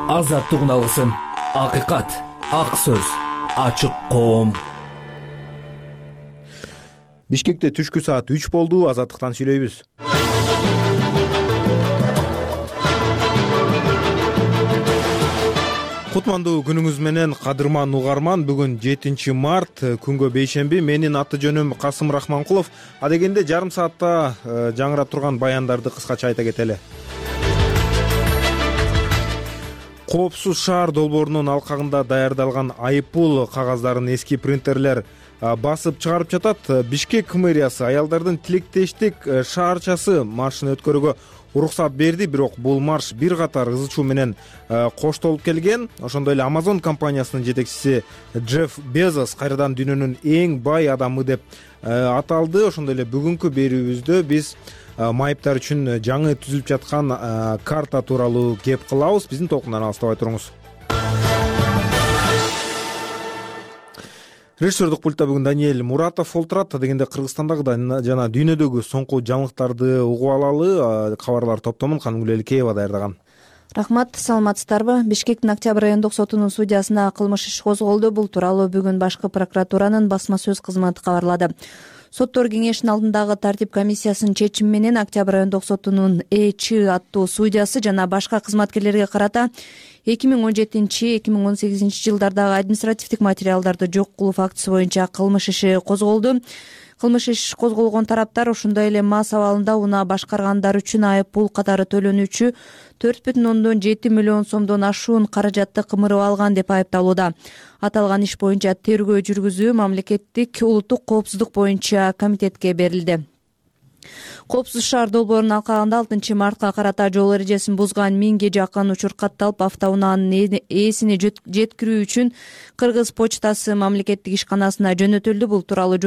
Азаттык алгысым, акыйкат, ак сөз, ачык коом. Бишкекте түшкү саат 3 болду. Азаттыктан сүйлөйбүз. Кутмандуу күнүңүз менен, кадырман угарман. Бүгүн 7 март, күнгө бейшемби. Менин аты жөнүм Касым Рахманкулов. Адегенде жарым саатта жаңырап турган баяндарды кыскача айта кетели. Коопсуз шаар долбоорунун алкагында даярдалган айыппул кагаздарын эски принтерлер басып чыгарып жатат. Бишкек мэриясы аялдардын тилектештик шаарчасы маршын өткөрүүгө уруксат берди, бирок бул марш бир катар ызы чуу менен коштолуп келген. Ошондой эле Amazon компаниясынын жетекчиси Джефф Безос кайрадан дүйнөнүн эң бай адамы деп аталды. Ошондой эле бүгүнкү берүүбүздө биз майыптар үчүн жаңы түзүлүп жаткан карта тууралуу кеп кылабыз. Биздин толкундан алыстабай туруңуз. Режиссердук пультта бүгүн Даниэль Муратов олтурат. Дегенде Кыргызстандагы жана дүйнөдөгү соңку жаңылыктарды угуп алалы. Кабарлар топтомун Канымгүл Эликеева даярдаган. Рахмат, саламатсыздарбы? Бишкектин Октябрь райондук сотунун судьясына кылмыш иш козголду. Бул тууралуу бүгүн башкы прокуратуранын басма сөз кызматы кабарлады. Соттор кеңешинин алдындагы тартип комиссиясынын чечими менен Октябрь райондук сотунун Ч аттуу судьясы жана башка кызматкерлерге карата 2017-2018 жылдардагы административдик материалдарды жок кылуу фактысы боюнча кылмыш иши козголду. Кылмыш иш козголгон тараптар ошондой эле мас абалында унаа башкаргандар үчүн айып пул катары төлөнүүчү 4,7 миллион сомдон ашуун каражатты кымырып алган деп айыпталууда. Аталган иш боюнча тергөө жүргүзүү мамлекеттик улуттук коопсуздук боюнча комитетке берилди. Коопсуз шаар долбоорунун алкагында 6 мартка карата жол эрежесин бузган 1000ге жакын учур катталып, автоунаанын ээсине жеткирүү үчүн Кыргыз почтасы мамлекеттик ишканасына жөнөтүлдү. Бул тууралуу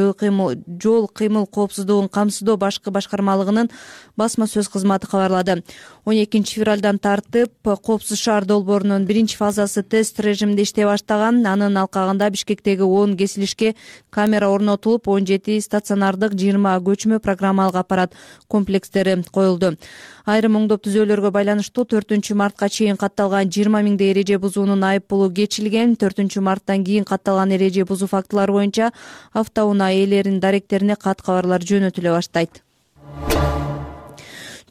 жол кыймыл коопсуздугун камсыздоо башкы башкармалыгынын басма сөз кызматы кабарлады. 12 февралдан тартып коопсуз шаар долбоорунун биринчи фазасы тест режиминде иштей баштаган. Анын алкагында Бишкектеги 10 кесилишке камера орнотулуп, 17 стационардык, 20 көчмө программалык аппарат комплекстери коюлду. Айрым оңдоп түзөөлөргө байланыштуу 4 мартка чейин катталган 20 миңдей эреже бузуунун айып пулу кечилген. 4 марттан кийин катталган эреже бузуу фактылары боюнча автоунаа ээлеринин даректерине кат кабарлар жөнөтүлө баштайт.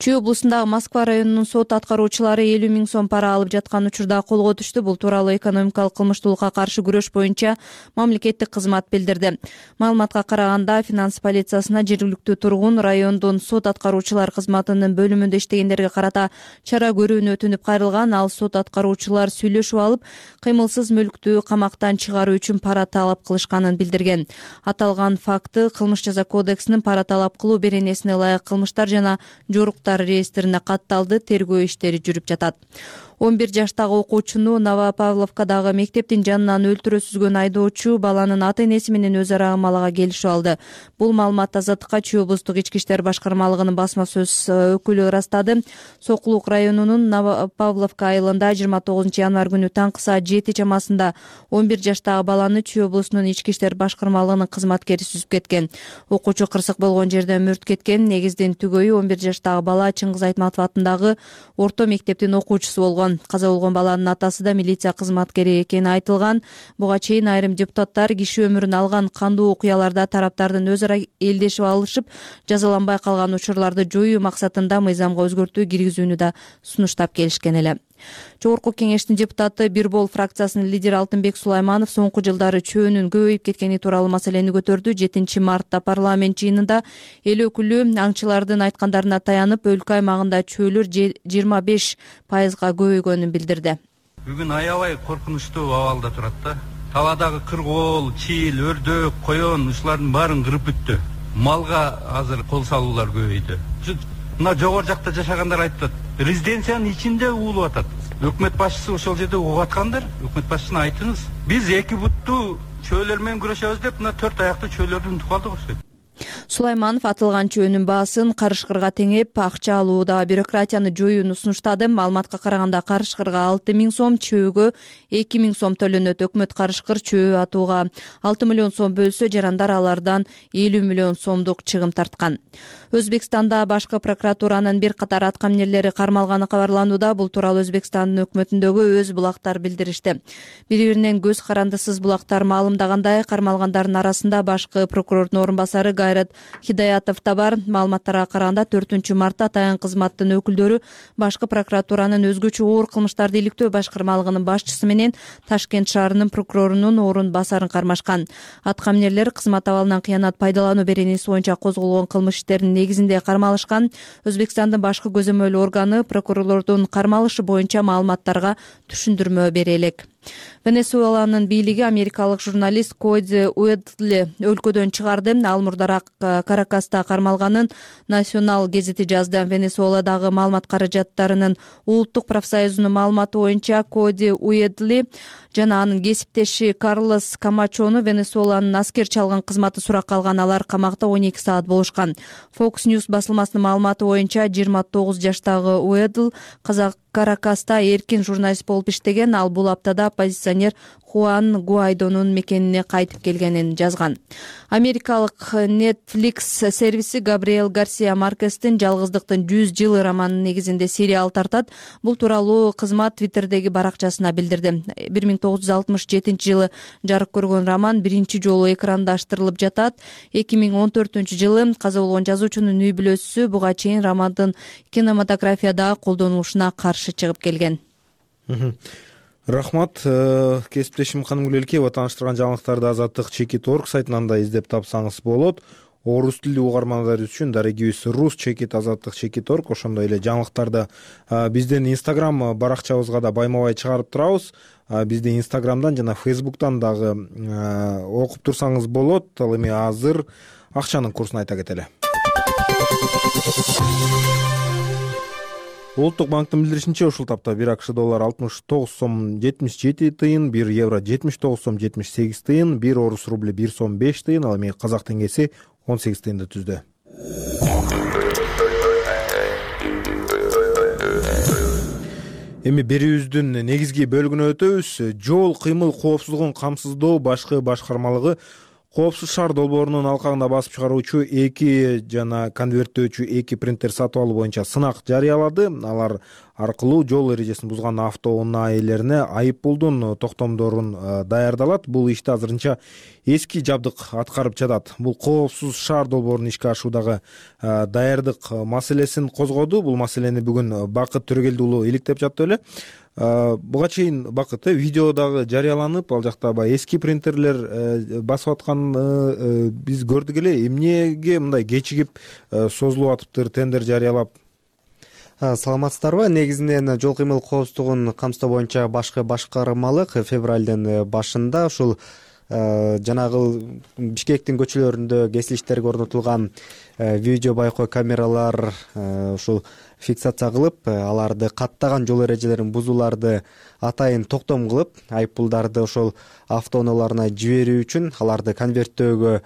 Чүй облусундагы Москва районунун сот аткаруучулары 50 000 сом пара алып жаткан учурда колго түштү. Бул тууралуу экономикалык кылмыштуулукка каршы күрөш боюнча мамлекеттик кызмат билдирди. Маалыматка караганда, финанс полициясына жергиликтүү тургун райондун сот аткаруучулар кызматынын бөлүмүндө иштегендерге карата чара көрүүнү өтүнүп кайрылган. Ал сот аткаруучулар сүйлөшүп алып, кыймылсыз мүлктү камактан чыгаруу үчүн пара талап кылышканын билдирген. Аталган факты Кылмыш жаза кодексинин пара талап кылуу беренесине ылайык кылмыштар жана жоруктар реестрине катталды. Тергөө иштери жүрүп жатат. 11 жаштагы окуучуну Новопавловкадагы мектептин жанынан өлтүрө сүзгөн айдоочу баланын ата-энеси менен өз ара амалага келишип алды. Бул маалыматты Азаттыкка Чүй облустук ички иштер башкармалыгынын басма сөз өкүлү ырастады. Сокулук районунун Новопавловка айылында 29 январь күнү таңкы саат 7 чамасында 11 жаштагы баланы Чүй облусунун ички иштер башкармалыгынын кызматкери сүзүп кеткен. Окуучу кырсык болгон жерден мүрт кеткен. Негиздин түгөйү 11 жаштагы бала Чыңгыз Айтматов атындагы орто мектептин окуучусу болгон. Каза болгон баланын атасы да милиция кызматкери экени айтылган. Буга чейин айрым депутаттар киши өмүрүн алган кандуу окуяларда тараптардын өз ара элдешип алышып, жазаланбай калган учурларды жоюу максатында мыйзамга өзгөртүү киргизүүнү да сунуштап келишкен эле. Жогорку кеңештин депутаты Бирбол фракциясынын лидери Алтынбек Сулайманов соңку жылдары чөөнүн көбөйүп кеткени тууралуу маселени көтөрдү. 7 мартта парламент жыйынында эл өкүлү аңчылардын айткандарына таянып, өлкө аймагында чөөлөр 25%га көбөйгөнүн билдирди. Бүгүн аябай коркунучтуу абалда турат да. Талаадагы кыргоол, чийл, өрдөк, коён ушулардын баарын кырып бүттү. Малга азыр кол салуулар көбөйдү. Мына жогору жакта жашагандар айтат, резиденциянын ичинде уулуп атат. Өкмөт башчысы ошол жерде угуп аткандар, өкмөт башчысына айтыңыз. Биз эки буттуу чөөлөр менен күрөшөбүз деп, мына 4 аяктуу чөөлөрдү унутуп калдык окшойт. Сулайманов атылган чөөнүн баасын карышкырга теңеп, акча алууда бюрократияны жоюуну сунуштады. Маалыматка караганда карышкырга 6 000 сом, чөөгө 2 000 сом төлөнөт. Өкмөт карышкыр чөө атууга 6 миллион сом бөлсө, жарандар алардан 50 миллион сомдук чыгым тарткан. Өзбекстанда башкы прокуратуранын бир катар аткаминерлери кармалганы кабарланууда. Бул тууралуу Өзбекстандын өкмөтүндөгү өз булактар билдиришти. Бири-биринен көз карандысыз булактар маалымдагандай, кармалгандардын арасында башкы прокурордун орун басары Гайрат Хидаятов да бар. Маалыматтарга караганда 4 мартта атайын кызматтын өкүлдөрү башкы прокуратуранын өзгөчө оор кылмыштарды иликтөө башкармалыгынын башчысы менен Ташкент шаарынын прокурорунун орун басарын кармашкан. Аткаминерлер кызмат абалынан кыянат пайдалануу беренеси боюнча козголгон кылмыш иштеринин негизинде кармалышкан. Өзбекстандын башкы көзөмөл органы прокурорлордун кармалышы боюнча маалыматтарга түшүндүрмө бере элек. Венесуэланын бийлиги америкалык журналист Коди Уэдли өлкөдөн чыгарды. Ал мурдараак Каракаста кармалганын Национал гезити жазды. Венесуэладагы маалымат каражаттарынын улуттук профсоюзунун маалыматы боюнча Коди Уэдли жана анын кесиптеши Карлос Камачону Венесуэланын аскер чалган кызматы суракка алган. Алар камакта 12 саат болушкан. Fox News басылмасынын маалыматы боюнча 29 жаштагы Уэдл Каракаста эркин журналист болуп иштеген. Ал бул аптада оппозиционер Хуан Гуайдонун мекенине кайтып келгенин жазган. Америкалык Netflix сервиси Габриэл Гарсия Маркестин «Жалгыздыктын 100 жылы» романынын негизинде сериал тартат. Бул тууралуу кызмат Твиттердеги баракчасына билдирди. 1967 жылы жарык көргөн роман биринчи жолу экрандаштырылып жатат. 2014 жылы каза болгон жазуучунун үй бүлөсү буга чейин романдын кинематографияда колдонулушуна каршы чыгып келген. Рахмат, кесиптешим Канымгүл Элкеева тааныштырган жаңылыктарды Азаттык.org сайтынан да издеп тапсаңыз болот. Орус тилдүү угармандар үчүн дарегибиз rus.azаттык.org, ошондой эле жаңылыктарды биздин Instagram баракчабызга да байма-бай чыгарып турабыз. Бизди Instagramдан жана Facebook'тан дагы окуп турсаңыз болот. Ал эми азыр акчанын курсун айта кетели. Улуттук банктын билдиришинче, ушул тапта 1 АКШ доллары 69 сом 77 тыйын, 1 евро 79 сом 78 тыйын, 1 орус рубли 1 сом 5 тыйын, ал эми казак теңгеси 18 тыйынды түздү. Эми берүүбүздүн негизги бөлүгүнө өтөбүз. Жол кыймыл коопсуздугун камсыздоо башкы башкармалыгы Коопсуз шаар долбоорунун алкагында басып чыгаруучу 2 жана конверттөөчү 2 принтер сатып алуу боюнча сынак жарыялады. Алар аркылуу жол эрежесин бузган автоунаа ээлерине айып пулдун токтомдорун даярдалат. Бул ишти азырынча эски жабдык аткарып жатат. Бул коопсуз шаар долбоорунун ишке ашуудагы даярдык маселесин козгоду. Бул маселени бүгүн Бакыт Төрөгелди уулу иликтеп жатты эле. Буга чейин Бакыт видео дагы жарыяланып, ал жакта эски принтерлер басып аткан биз көрдүк эле. Эмнеге мындай кечигип созулуп атыптыр тендер жарыялап? Саламатсыздарбы? Негизинен жол кыймыл коопсуздугун камсыздоо боюнча башкы башкармалык февралдын башында ушул жанагы Бишкектин көчөлөрүндө кесилиштерге орнотулган видео байкоо камералар ушул фиксация кылып, аларды каттаган жол эрежелерин бузууларды атайын токтом кылып, айып пулдарды ошол автоунааларына жиберүү үчүн аларды конверттөөгө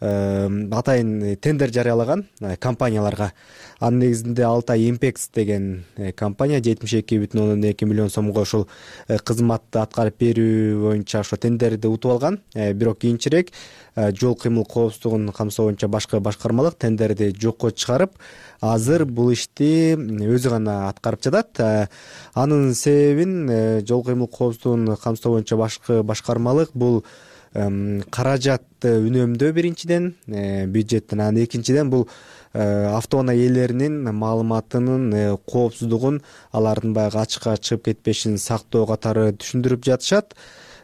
атайын тендер жарыялаган компанияларга. Анын негизинде Алтай Импекс деген компания 72,2 миллион сомго ошол кызматты аткарып берүү боюнча ошо тендерди утуп алган. Бирок кийинчерээк жол кыймыл коопсуздугун камсоо боюнча башкы башкармалык тендерди жокко чыгарып, азыр бул ишти өзү гана аткарып жатат. Анын себебин жол кыймыл коопсуздугун камсоо боюнча башкы башкармалык бул каражатты үнөмдөө биринчиден, бюджеттен, анан экинчиден бул автоунаа ээлеринин маалыматынын коопсуздугун, алардын баягы ачыкка чыгып кетпешин сактоо катары түшүндүрүп жатышат.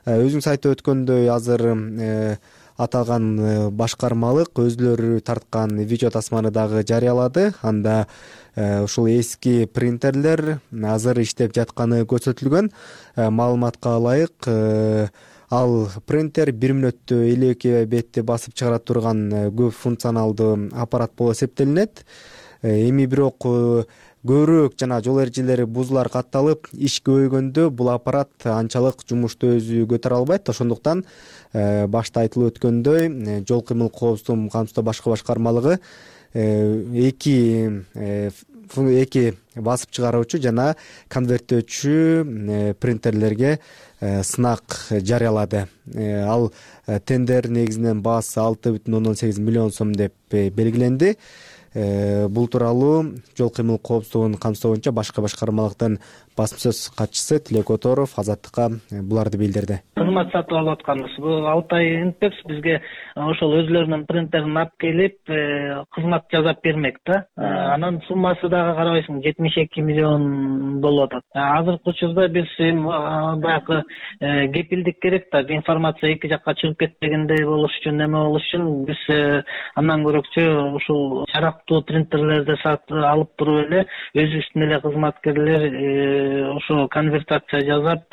Өзүң айтып өткөндөй, азыр аталган башкармалык өзүлөрү тарткан видео тасманы дагы жарыялады. Анда ушул эски принтерлер азыр иштеп жатканы көрсөтүлгөн. Маалыматка ылайык, ал принтер 1 мүнөттө 52 бетти басып чыгара турган көп функционалдуу аппарат болуп эсептелинет. Эми бирок көбүрөөк жана жол эрежелери бузуулар катталып, иш көбөйгөндө бул аппарат анчалык жумушту өзү көтөрө албайт. Ошондуктан башта айтылып өткөндөй, жол кыймыл коопсуздугун камсыздоо башкы башкармалыгы эки басып чыгаруучу жана конверттөөчү принтерлерге сынак жарыялады. Ал тендер негизинен баасы 6,8 миллион сом деп белгиленди. Бул тууралуу жол кыймыл коопсуздугун камсыздоо боюнча башкы башкармалыктын басма сөз катчысы Тилек Оторов Азаттыкка буларды билдирди. Кызмат сатып алып атканбыз. Бул 6 ай интепс бизге ошол өзлөрүнүн принтерин алып келип, кызмат жасап бермек да. Анын суммасы дагы карабайсың 72 миллион болуп атат. Азыркы учурда биз баягы кепилдик керек да, информация эки жакка чыгып кетпегендей болуш үчүн, эме болуш үчүн биз андан көрөкчү ушул жарактуу принтерлерди сатып алып туруп эле өзүбүздүн эле кызматкерлер ошо конвертация жасап,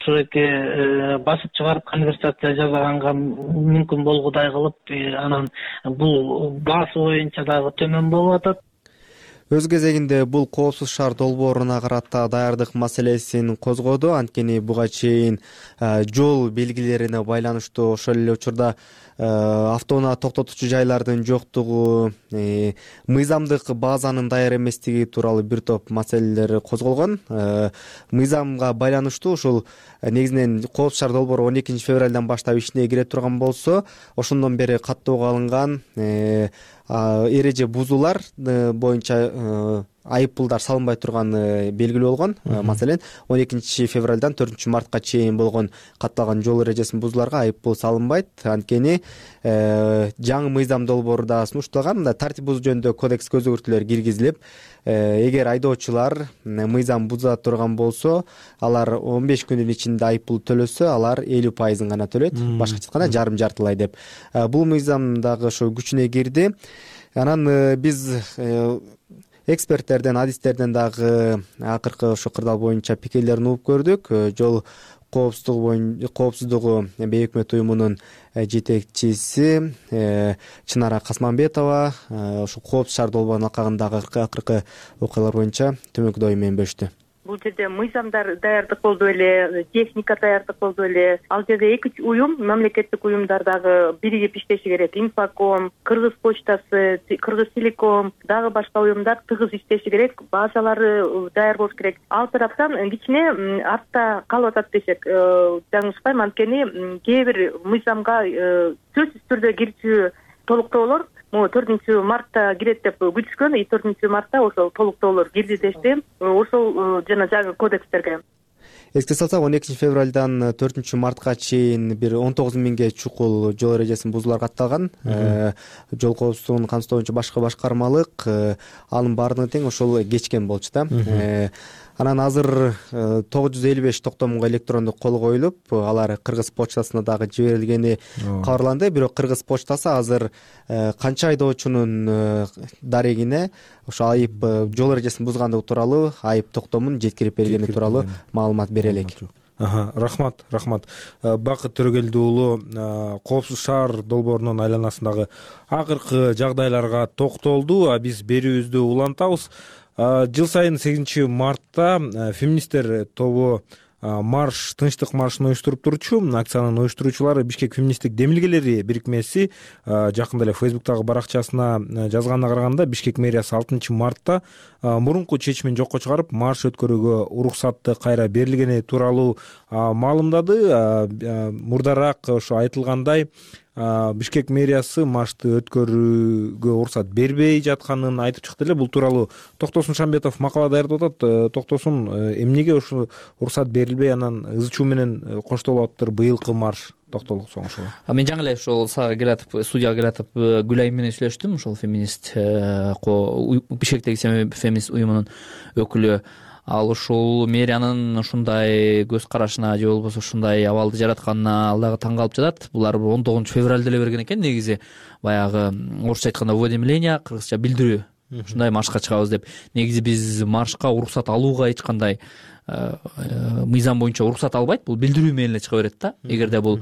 ошоки басып чыгарып конвертация жасаганга мүмкүн болгудай кылып, анан бул баасы боюнча дагы төмөн болуп атат. Өз кезегинде бул коопсуз шаар долбооруна карата даярдык маселесин козгоду. Анткени буга чейин жол белгилерине байланыштуу ошол эле учурда автоунаа токтотуучу жайлардын жоктугу, мыйзамдык базанын даяр эместиги тууралуу бир топ маселелер козголгон. Мыйзамга байланыштуу ушул негизинен коопсуз шаар долбоору 12 февралдан баштап ишине кире турган болсо, ошондон бери каттоого алынган эреже бузуулар боюнча айып пулдар салынбай турган белгилүү болгон. Маселен, 12 февралдан 4 мартка чейин болгон катталган жол эрежесин бузууларга айып пул салынбайт. Анткени жаңы мыйзам долбоорунда сунушталган мындай тартип бузуу жөнүндө кодекске өзгөртүүлөр киргизилип, эгер айдоочулар мыйзам буза турган болсо, алар 15 күндүн ичинде айып пул төлөсө, алар 50% гана төлөйт, башкача айтканда жарым-жартылай деп. Бул мыйзам дагы ошо күчүнө кирди. Анан биз эксперттерден, адистерден дагы акыркы ошо кырдаал боюнча пикирлерин угуп көрдүк. Жол коопсуздугу бейөкмөт уюмунун жетекчиси Чынара Касманбетова ошо коопсуз шаар долбоорунун алкагындагы акыркы окуялар боюнча төмөнкү ою менен бөлүштү. Бул жерде мыйзамдар даярдык болду эле, техника даярдык болду эле. Ал жерде эки уюм, мамлекеттик уюмдар дагы биригип иштеши керек. Инфоком, Кыргыз почтасы, Кыргыз телеком, дагы башка уюмдар тыгыз иштеши керек. Базалары даяр болуш керек. Ал тараптан кичине артта калып атат десек жаңылышпайм. Анткени кээ бир мыйзамга сөзсүз түрдө кирчү толуктоолор 4 мартта кирет деп күтүшкөн, 4 мартта ошол толуктоолор кирди дешти. Ошол жана жаңы кодекстерге. Эске салсак, 12 февралдан 4 мартка чейин бир 19 миңге чукул жол эрежесин бузуулар катталган. Жол коопсуздугун камсыздоо боюнча башкы башкармалык анын баардыгын тең ошол кечкен болчу да. Анан азыр 955 токтомго электрондук кол коюлуп, алар Кыргыз почтасына дагы жиберилгени кабарланды. Бирок Кыргыз почтасы азыр канча айдоочунун дарегине ошо айып жол эрежесин бузгандыгы тууралуу айып токтомун жеткирип бергени тууралуу маалымат бере элек. Рахмат. Бакыт Төрөгелди уулу коопсуз шаар долбоорунун айланасындагы акыркы жагдайларга токтолду. Биз берүүбүздү улантабыз. Жыл сайын 8 мартта феминисттер тобу марш, тынчтык маршын уюштуруп турчу. Акциянын уюштуруучулары Бишкек феминисттик демилгелери бирикмеси жакында эле Facebook'тагы баракчасына жазганына караганда, Бишкек мэриясы 6 мартта мурунку чечимин жокко чыгарып, марш өткөрүүгө уруксатты кайра берилгени тууралуу маалымдады. Мурдараак ошо айтылгандай, Бишкек мэриясы маршты өткөрүүгө уруксат бербей жатканын айтып чыкты эле. Бул тууралуу Токтосун Шамбетов макала даярдап атат. Токтосун, эмнеге ошо уруксат берилбей, анан ызы чуу менен коштолуп атыптыр быйылкы марш? Токтолук соң ошого. Мен жаңы эле ошол сага келатып, студияга келатып, Гүлайым менен сүйлөштүм, ошол феминист Бишкектеги феминист уюмунун өкүлү. Ал ушул мэриянын ушундай көз карашына же болбосо ушундай абалды жаратканына ал дагы таң калып жатат. Булар 19 февралда эле берген экен, негизи баягы орусча айтканда уведомление, кыргызча билдирүү. Ушундай маршка чыгабыз деп. Негизи биз маршка уруксат алууга эч кандай мыйзам боюнча уруксат албайт. Бул билдирүү менен эле чыга берет да. Эгерде бул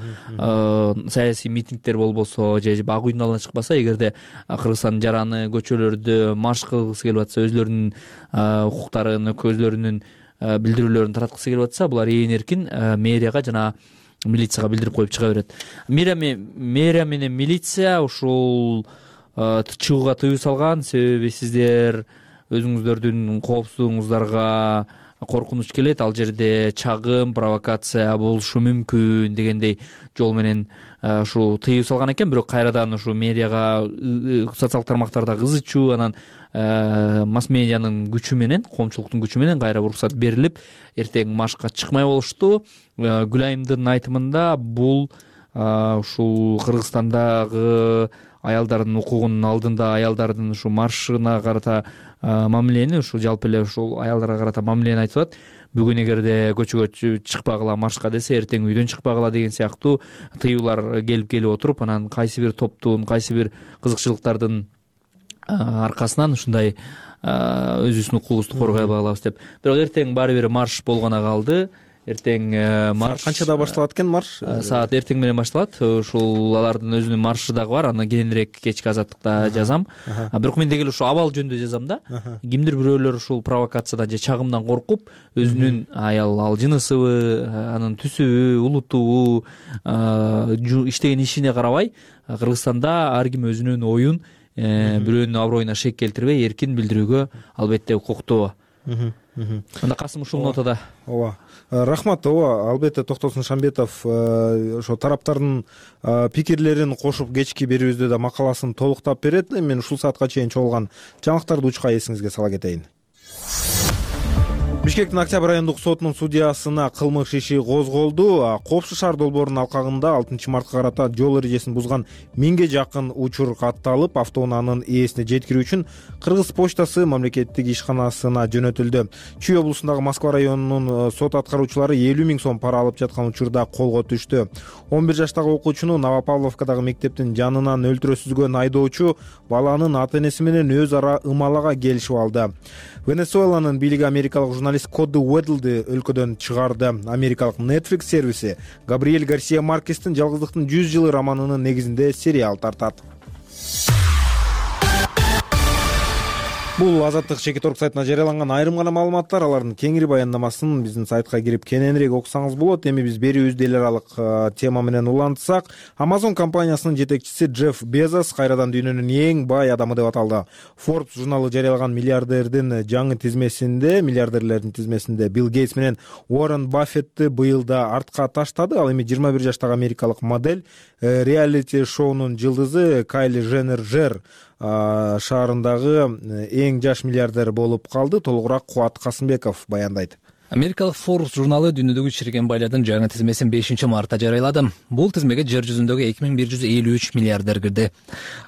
саясий митингдер болбосо же ак үйдүн алдына чыкпаса, эгерде Кыргызстандын жараны көчөлөрдө марш кылгысы келип атса, өзлөрүнүн укуктарын, өзлөрүнүн билдирүүлөрүн тараткысы келип атса, булар ээн эркин мэрияга жана милицияга билдирип коюп чыга берет. Мэрия менен милиция ушул чыгууга тыюу салган. Себеби сиздер өзүңүздөрдүн коопсуздугуңуздарга коркунуч келет, ал жерде чагым, провокация болушу мүмкүн дегендей жол менен ушул тыюу салган экен. Бирок кайрадан ушу медиага, социалдык тармактардагы ызы чуу, анан масс медианын күчү менен, коомчулуктун күчү менен кайра уруксат берилип, эртең маршка чыкмай болушту. Гүлайымдын айтымында бул ушул Кыргызстандагы аялдардын укугунун алдында аялдардын ушу маршына карата мамилени, ушул жалпы эле ушул аялдарга карата мамилени айтып атат. Бүгүн эгерде көчөгө чыкпагыла, маршка десе, эртең үйдөн чыкпагыла деген сыяктуу тыюулар келип отуруп, анан кайсы бир топтун, кайсы бир кызыкчылыктардын аркасынан ушундай өзүбүздүн укугубузду коргой алабыз деп. Бирок эртең баары бир марш болгоно калды. Эртең марш канчада башталат экен? Марш саат эртең менен башталат. Ушул алардын өзүнүн маршы дагы бар, аны кийинирээк кечки азаттыкта жазам. Бирок мен деги эле ушул абал жөнүндө жазам да. Кимдир бирөөлөр ушул провокациядан же чагымдан коркуп, өзүнүн ал жынысыбы, анын түсүбү, улутубу, иштеген ишине карабай, Кыргызстанда ар ким өзүнүн оюн бирөөнүн аброюна шек келтирбей эркин билдирүүгө албетте укуктуу. Анда Касым ушул нотада. Ооба. Рахмат. Ооба, албетте Токтосун Шамбетов ошо тараптардын пикирлерин кошуп кечки берүүбүздө да макаласын толуктап берет. Мен ушул саатка чейин чогулган жаңылыктарды учка эсиңизге сала кетейин. Бишкектин Октябрь райондук сотунун судьясына кылмыш иши козголду. Коопсуз шаар долбоорунун алкагында 6 мартка карата жол эрежесин бузган 1000ге жакын учур катталып, автоунаанын ээсине жеткирүү үчүн Кыргыз почтасы мамлекеттик ишканасына жөнөтүлдү. Чүй облусундагы Москва районунун сот аткаруучулары 50 000 сом пара алып жаткан учурда колго түштү. 11 жаштагы окуучуну Новопавловкадагы мектептин жанынан өлтүрө сүзгөн айдоочу баланын ата-энеси менен өз ара ымалага келишип алды. Венесуэланын бийлиги америкалык журналист Коди Уэдлди өлкөдөн чыгарды. Америкалык Netflix сервиси Габриэль Гарсия Маркестин «Жалгыздыктын 100 жылы» романынын негизинде сериал тартат. Бул Азаттык Чекиторг сайтына жарыяланган айрым гана маалыматтар. Алардын кеңири баяндамасын биздин сайтка кирип кененирээк окусаңыз болот. Эми биз берүүбүздү эл аралык тема менен улантсак, Amazon компаниясынын жетекчиси Джефф Безос кайрадан дүйнөнүн эң бай адамы деп аталды. Forbes журналы жарыялаган миллиардерлердин тизмесинде Билл Гейтс менен Уоррен Баффетти быйыл да артка таштады. Ал эми 21 жаштагы америкалык модель, реалити шоунун жылдызы Кайли Женнер шаарындагы эң жаш миллиардер болуп калды. Толугураак Кубат Касымбеков баяндайт. Америкалык Forbes журналы дүйнөдөгү чиреген байлардын жаңы тизмесин 5 мартта жарыялады. Бул тизмеге жер жүзүндөгү 2153 миллиардер кирди.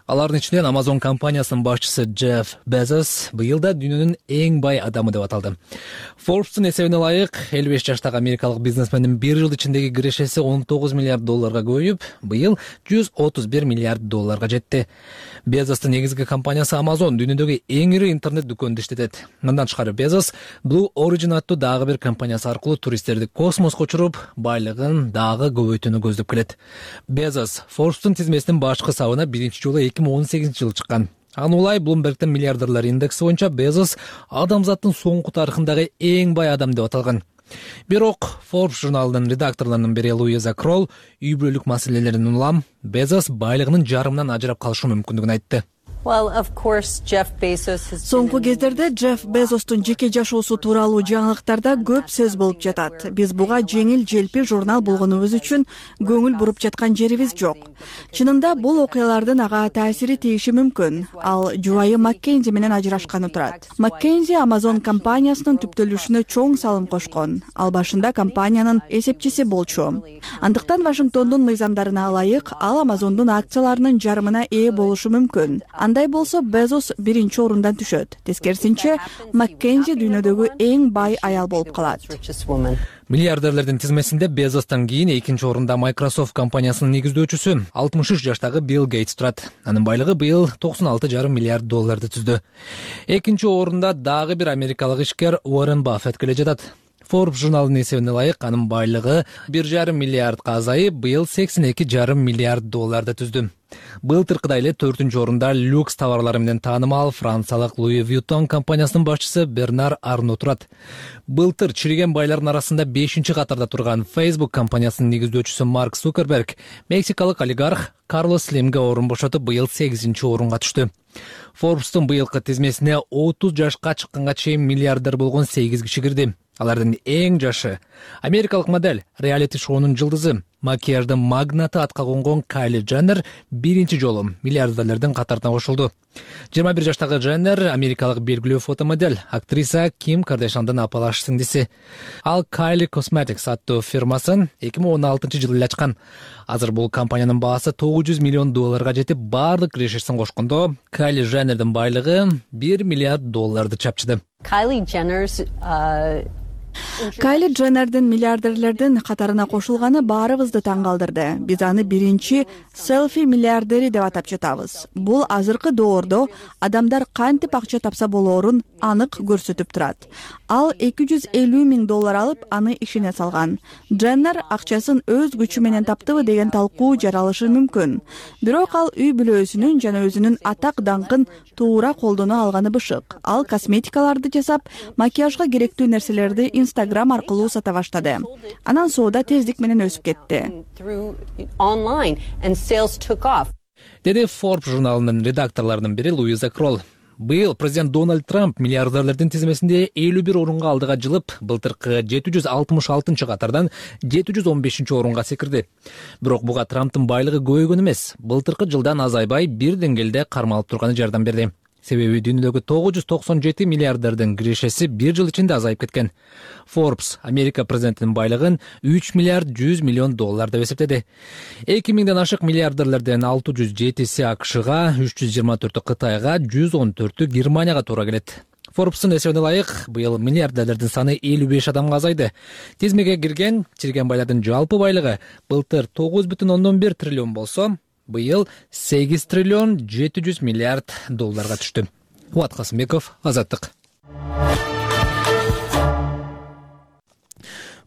Алардын ичинен Amazon компаниясынын башчысы Джефф Безос быйыл да дүйнөнүн эң бай адамы деп аталды. Forbes'тун эсебине ылайык 55 жаштагы америкалык бизнесмендин бир жыл ичиндеги кирешеси 19 миллиард долларга көбөйүп, быйыл 131 миллиард долларга жетти. Безостун негизги компаниясы Amazon дүйнөдөгү эң ири интернет дүкөндү иштетет. Мындан тышкары Безос Blue Origin аттуу дагы бир компаниясы аркылуу туристтерди космоско учуруп, байлыгын дагы көбөйтүүнү көздөп келет. Безос Forbes'тун тизмесинин башкы сабына биринчи жолу 2018 жылы чыккан. Аны улай Bloomberg'тин миллиардерлер индекси боюнча Безос адамзаттын соңку тарыхындагы эң бай адам деп аталган. Бирок Forbes журналынын редакторлорунун бири Луиза Кролл үй бүлөлүк маселелерин улам Безос байлыгынын жарымынан ажырап калышы мүмкүндүгүн айтты. Соңку кездерде Джефф Безостун жеке жашоосу тууралуу жаңылыктарда көп сөз болуп жатат. Биз буга жеңил желпи журнал болгонубуз үчүн көңүл буруп жаткан жерибиз жок. Чынында бул окуялардын ага таасири тийиши мүмкүн. Ал жубайы Маккензи менен ажырашканы турат. Маккензи Amazon компаниясынын түптөлүшүнө чоң салым кошкон. Ал башында компаниянын эсепчиси болчу. Андыктан Вашингтондун мыйзамдарына ылайык ал Amazon'дун акцияларынын жарымына ээ болушу мүмкүн. Андай болсо Безос биринчи орундан түшөт. Тескерисинче, Маккензи дүйнөдөгү эң бай аял болуп калат. Миллиардерлердин тизмесинде Безостон кийин экинчи орунда Microsoft компаниясынын негиздөөчүсү 63 жаштагы Билл Гейтс турат. Анын байлыгы быйыл 96,5 миллиард долларды түздү. Экинчи орунда дагы бир америкалык ишкер Уоррен Баффет келе жатат. Forbes журналынын эсебине ылайык анын байлыгы 1,5 миллиардка азайып, быйыл 82,5 миллиард долларды түздү. Былтыркыдай эле 4-ч орунда люкс товарлары менен таанымал франциялык Louis Vuitton компаниясынын башчысы Бернар Арно турат. Былтыр чириген байлардын арасында 5-чи катарда турган Facebook компаниясынын негиздөөчүсү Марк Цукерберг мексикалык олигарх Карлос Слимге орун бошотуп, быйыл 8-чи орунга түштү. Forbes'тун быйылкы тизмесине 30 жашка чыкканга чейин миллиардер болгон 8 киши кирди. Алардын эң жашы америкалык модель, реалити шоунун жылдызы, макияждын магнаты атка конгон Кайли Дженнер биринчи жолу миллиардерлердин катарына кошулду. 21 жаштагы Дженнер америкалык белгилүү фотомодель, актриса Ким Кардашьяндын апалаш сиңдиси. Ал Kylie Cosmetics аттуу фирмасын 2016-жылы эле ачкан. Азыр бул компаниянын баасы $900 миллион жетип, баардык кирешесин кошкондо Кайли Дженнердин байлыгы $1 миллиард чапчыды. Кайли Дженнердин миллиардерлердин катарына кошулганы баарыбызды таң калтырды. Биз аны биринчи селфи миллиардери деп атап жатабыз. Бул азыркы доордо адамдар кантип акча тапса болоорун анык көрсөтүп турат. Ал $250 миң алып, аны ишине салган. Дженнер акчасын өз күчү менен таптыбы деген талкуу жаралышы мүмкүн. Бирок ал үй бүлөсүнүн жана өзүнүн атак даңкын туура колдоно алганы бышык. Ал косметикаларды жасап, макияжга керектүү нерселерди Instagram аркылуу сата баштады. Анан соода тездик менен өсүп кетти. Деди Forbes журналынын редакторлорунун бири Луиза Кролл. Быйыл президент Дональд Трамп миллиардерлердин тизмесинде 51 орунга алдыга жылып, былтыркы 766 катардан 715 орунга секирди. Бирок буга Трамптын байлыгы көбөйгөн эмес, былтыркы жылдан азайбай бир деңгээлде кармалып турганы жардам берди. Себеби дүйнөдөгү 997 миллиардердин кирешеси бир жыл ичинде азайып кеткен. Forbes Америка президентинин байлыгын $3 миллиард 100 миллион деп эсептеди. 2000ден ашык миллиардерлерден 607си АКШга, 324 Кытайга, 114 Германияга туура келет. Forbes'ун эсебине ылайык, быйыл миллиардерлердин саны 55 адамга азайды. Тизмеге кирген чирген байлардын жалпы байлыгы былтыр 9,1 триллион болсо, быйыл 8 триллион 700 миллиард долларга түштү. Кубат Касымбеков, Азаттык.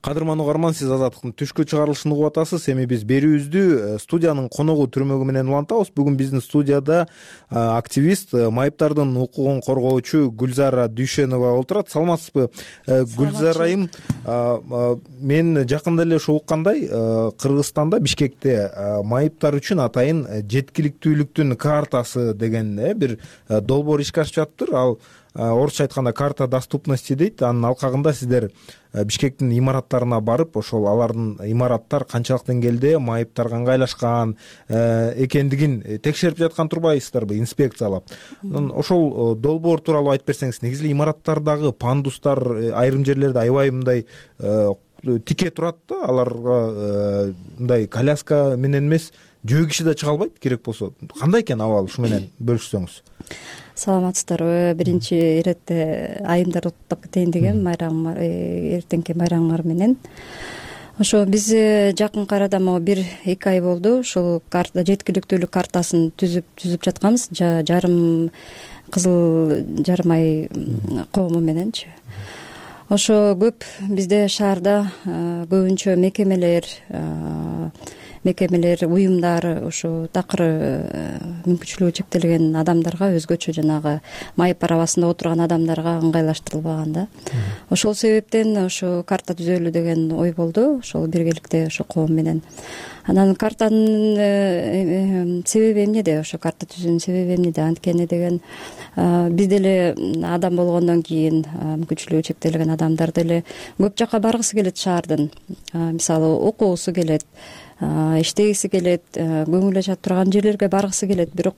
Кадырман угарман, сиз Азаттыктын түшкү чыгарылышын угуп атасыз. Эми биз берүүбүздү студиянын коногу түрмөгү менен улантабыз. Бүгүн биздин студияда активист, майыптардын укугун коргоочу Гүлзара Дүйшенова отурат. Саламатсызбы, Гүлзара айым? Мен жакында эле уккандай, Кыргызстанда, Бишкекте майыптар үчүн атайын жеткиликтүүлүктүн картасы деген бир долбоор ишке ашып жатыптыр. Ал орусча айтканда карта доступности дейт. Анын алкагында сиздер Бишкектин имараттарына барып, ошол алардын имараттар канчалык деңгээлде майыптарга ыңгайлашкан экендигин текшерип жаткан турбайсыздарбы, инспекциялап. Ошол долбоор тууралуу айтып берсеңиз. Негизи имараттардагы пандустар айрым жерлерде аябай мындай тике турат да, аларга мындай коляска менен эмес, жөө киши да чыга албайт керек болсо. Кандай экен абал, ушу менен бөлүшсөңүз? Саламатсыздарбы? Биринчи иретте айымдар уктап кетейин деген эртеңки майрамыңар менен. Ошо биз жакынкы арада могу 1-2 ай болду. Ушул карта жеткиликтүүлүк картасын түзүп жатканбыз. Жарым кызыл жарым ай коому мененчи. Ошо көп бизде шаарда көбүнчө мекемелер, уюмдар ушу такыр мүмкүнчүлүгү чектелген адамдарга, өзгөчө жанагы майып арабасында отурган адамдарга ыңгайлаштырылбаган да. Ошол себептен ошо карта түзөлү деген ой болду. Ошол биргеликте ошо коом менен. Анан картанын себеби эмнеде? Ошо карта түзүүнүн себеби эмнеде? Анткени деген биз деле адам болгондон кийин мүмкүнчүлүгү чектелген адамдар деле көп жака баргысы келет шаардын. Мисалы окугусу келет, иштегиси келет, көңүл ача турган жерлерге баргысы келет. Бирок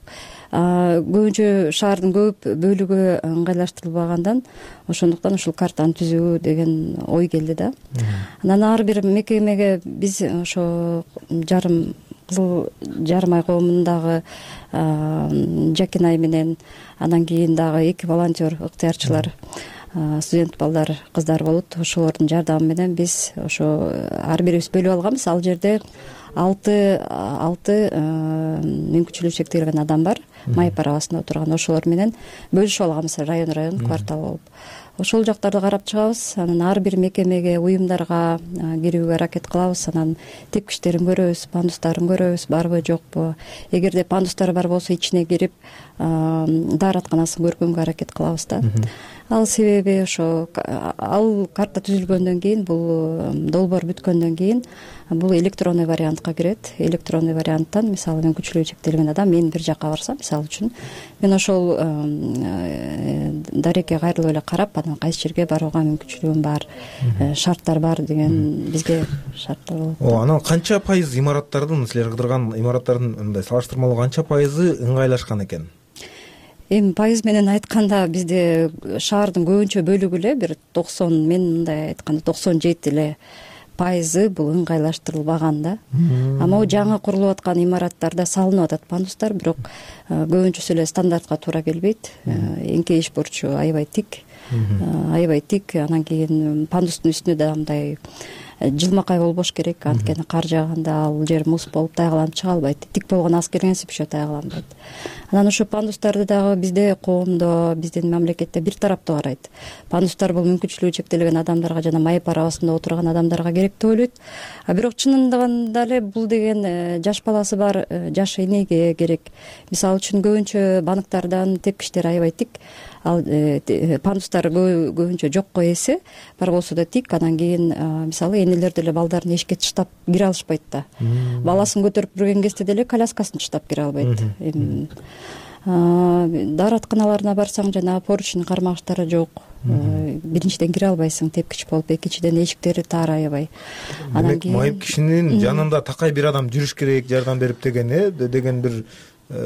көбүнчө шаардын көп бөлүгү ыңгайлаштырылбагандан ошондуктан ушул картаны түзүү деген ой келди да. Анан ар бир мекемеге биз ошо кызыл жарым ай коомундагы Жакинай менен, анан кийин дагы 2 волонтер, ыктыярчылар, студент балдар, кыздар болот. Ошолордун жардамы менен биз ошо ар бирибиз бөлүп алганбыз. Ал жерде 6 мүмкүнчүлүгү чектелген адам бар, майып арабасында отурган. Ошолор менен бөлүшүп алганбыз, район квартал болуп. Ошол жактарды карап чыгабыз. Анан ар бир мекемеге, уюмдарга кирүүгө аракет кылабыз. Анан тепкичтерин көрөбүз, пандустарын көрөбүз, барбы жокпу. Эгерде пандустар бар болсо ичине кирип дааратканасын көргөнгө аракет кылабыз да. Ал себеби ошо ал карта түзүлгөндөн кийин, бул долбоор бүткөндөн кийин бул электронный вариантка кирет. Электронный варианттан мисалы мүмкүнчүлүгү чектелген адам мен бир жакка барсам, мисалы үчүн мен ошол дарекке кайрылып эле карап, анан кайсы жерге барууга мүмкүнчүлүгүм бар, шарттар бар деген бизге шарттар болот. Анан канча пайыз имараттардын, силер кыдырган имараттардын мындай салыштырмалуу канча пайызы ыңгайлашкан экен? Эми пайыз менен айтканда бизде шаардын көбүнчө бөлүгү эле бир 90, мен мындай айтканда 97 эле пайызы бул ыңгайлаштырылбаган да. А могу жаңы курулуп аткан имараттарда салынып атат пандустар, бирок көбүнчөсү эле стандартка туура келбейт. Эңкейиш бурчу аябай тик, анан кийин пандустун үстүнө да мындай жылмакай болбош керек, анткени кар жааганда ал жер муз болуп тайгаланып чыга албайт. Тик болгон аскереңсип еще тайгаланбайт. Анан ошо пандустарды дагы бизде коомдо, биздин мамлекетте бир тараптуу карайт. Пандустар бул мүмкүнчүлүгү чектелген адамдарга жана май парабасында отурган адамдарга керек деп ойлойт. А бирок чынында эле бул деген жаш баласы бар жаш энеге керек. Мисалы үчүн көбүнчө банктардан тепкичтер аябай тик. Ал пандустар көбүнчө жокко эсе, бар болсо да тик. Анан кийин мисалы энелер деле балдарын эшикке таштап кире алышпайт да. Баласын көтөрүп жүргөн кезде деле коляскасын таштап кире албайт. Дааратканаларына барсаң жана поручень кармагычтары жок. Биринчиден кире албайсың тепкич болуп, экинчиден эшиктери тар аябай. Демек майып кишинин жанында такай бир адам жүрүш керек, жардам берип деген бир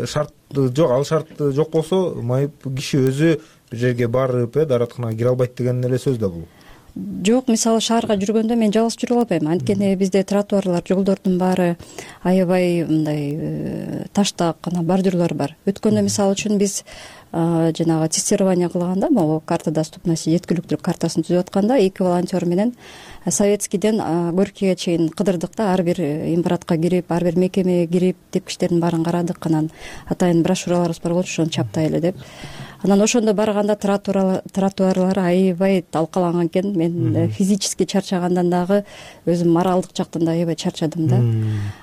шарт жок. Ал шарт жок болсо майып киши өзү бир жерге барып дааратканага кире албайт деген эле сөз да бул. Жок, мисалы шаарга жүргөндө мен жалгыз жүрө албайм. Анткени бизде тротуарлар, жолдордун баары аябай мындай таштак, анан бордюрлар бар. Өткөндө мисалы үчүн биз жанагы тестирование кылганда, могу карта доступности жеткиликтүүлүк картасын түзүп атканда, 2 волонтер менен Советскийден Горькийге чейин кыдырдык да, ар бир имаратка кирип, ар бир мекемеге кирип, тепкичтердин баарын карадык. Анан атайын брошюраларыбыз бар болчу, ошону чаптай эле деп. Анан ошондо барганда тротуарлар аябай талкаланган экен. Мен физически чарчагандан дагы өзүм моралдык жактан да аябай чарчадым да.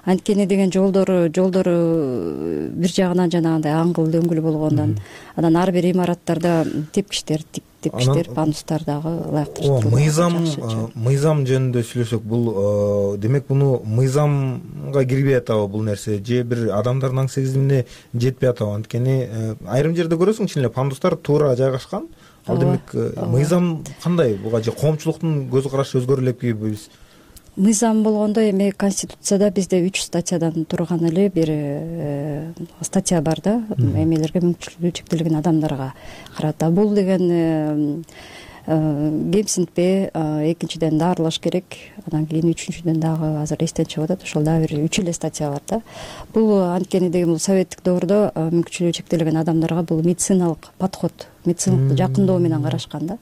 Анткени деген жолдору бир жагынан жанагындай аңгыл дөңгүл болгондон, анан ар бир имараттарда тепкичтер пандустар дагы ылайыктуу. Мыйзам жөнүндө сүйлөсөк, бул демек муну мыйзамга кирбей атабы бул нерсе, же бир адамдардын аң сегизимине жетпей атабы? Анткени айрым жерде көрөсүң, чын эле пандустар туура жайгашкан. Ал демек мыйзам кандай буга, же коомчулуктун көз карашы өзгөрө элекпи? Мыйзам болгондо эми Конституцияда бизде 3 статьядан турган эле бир статья бар да, эмелерге мүмкүнчүлүгү чектелген адамдарга карата. Бул деген кемсинтпе, экинчиден дарылаш керек, анан кийин үчүнчүдөн дагы азыр эстен чыгып атат, ошол дагы бир 3 эле статья бар да. Бул анткени деген бул советтик доордо мүмкүнчүлүгү чектелген адамдарга бул медициналык подход, медициналык жакындоо менен карашкан да.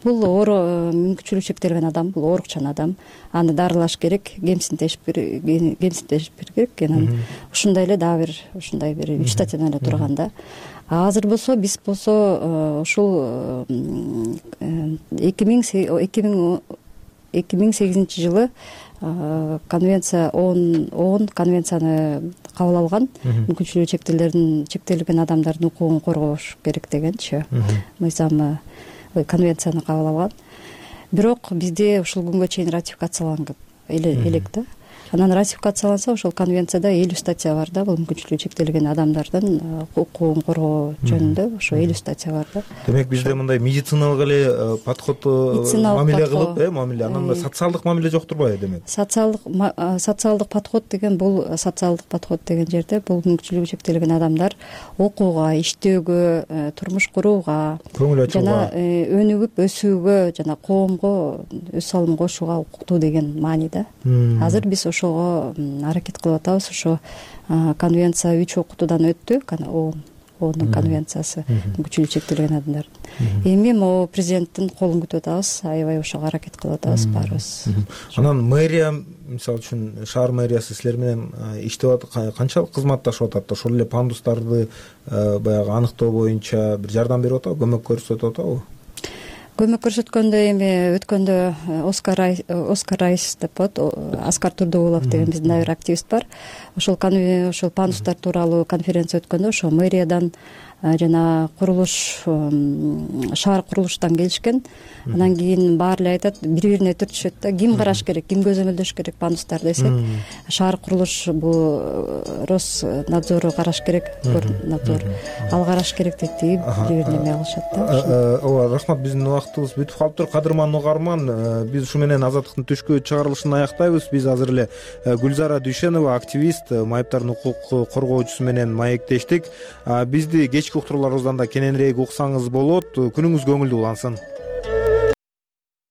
Бул мүмкүнчүлүгү чектелген адам, бул оорукчан адам, аны дарылаш керек, кемсинтеш керек. Анан ушундай эле дагы бир ушундай бир 3 статьядан эле турган да. Азыр болсо биз болсо ушул 2008 жылы конвенция ООН конвенцияны кабыл алган, мүмкүнчүлүгү чектелген адамдардын укугун коргош керек дегенчи мыйзамы, конвенцияны кабыл алган. Бирок бизде ушул күнгө чейин ратификацияланган элек да. Анан ратификацияланса, ошол конвенцияда 50 статья бар да, бул мүмкүнчүлүгү чектелген адамдардын укугун коргоо жөнүндө ошо 50 статья бар да. Демек бизде мындай медициналык эле подход мамиле кылып, мамиле, анан социалдык мамиле жоктур го демек? Социалдык подход деген бул жерде бул мүмкүнчүлүгү чектелген адамдар окууга, иштөөгө, турмуш курууга, жана өнүгүп өсүүгө, жана коомго өз салымын кошууга укуктуу деген маани да. Азыр биз ошого аракет кылып атабыз. Ошо конвенция 3 окутуудан өттү, ООНдун конвенциясы мүмкүнчүлүгү чектелген адамдар. Эми могу президенттин колун күтүп атабыз, аябай ошого аракет кылып атабыз баарыбыз. Анан мэрия, мисалы үчүн шаар мэриясы силер менен иштеп атат, канчалык кызматташып атат? Ошол эле пандустарды баягы аныктоо боюнча бир жардам берип атабы, көмөк көрсөтүп атабы? Көмөк көрсөткөндө эми өткөндө Оскар Райс деп коет, Аскар Турдугулов деген биздин бир активист бар. Ошол пандустар тууралуу конференция өткөндө ошо мэриядан жана курулуш шаар курулуштан келишкен. Анан кийин баары эле айтат, бири бирине түртүшөт да, ким караш керек, ким көзөмөлдөш керек пандустар десек, шаар курулуш бул Роснадзору караш керек, Горнадзор ал караш керек дейт, бири бирине эме кылышат да. Ооба, рахмат, биздин убактыбыз бүтүп калыптыр. Кадырман угарман, биз ушу менен Азаттыктын түшкү чыгарылышын аяктайбыз. Биз азыр эле Гүлзара Дүйшенова, активист, майыптардын укук коргоочусу менен маектештик. Бизди кечки уктурууларыбыздан да кененирээк уксаңыз болот. Күнүңүз көңүлдүү улансын.